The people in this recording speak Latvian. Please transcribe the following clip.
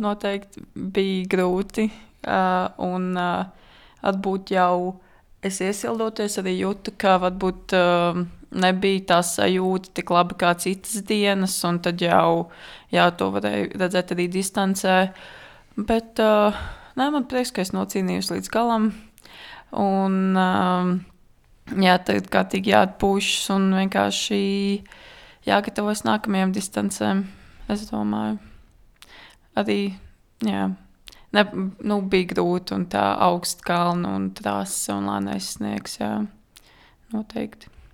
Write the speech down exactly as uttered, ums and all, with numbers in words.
Noteikti bija grūti, uh, un uh, varbūt jau es iesildoties arī jūtu, ka varbūt uh, nebija tā sajūta tik labi kā citas dienas, un tad jau jā, to varēju redzēt arī distancē. Bet uh, nē, man prieks, ka es nocīnījos līdz galam, un uh, jā, tagad kārtīgi jāatpūšas un vienkārši jāgatavojas nākamajām distancēm, es domāju. Arī, jā, ne, nu, bija grūti un tā augsta kalna un trasa un lēnais sniegs, jā, noteikti.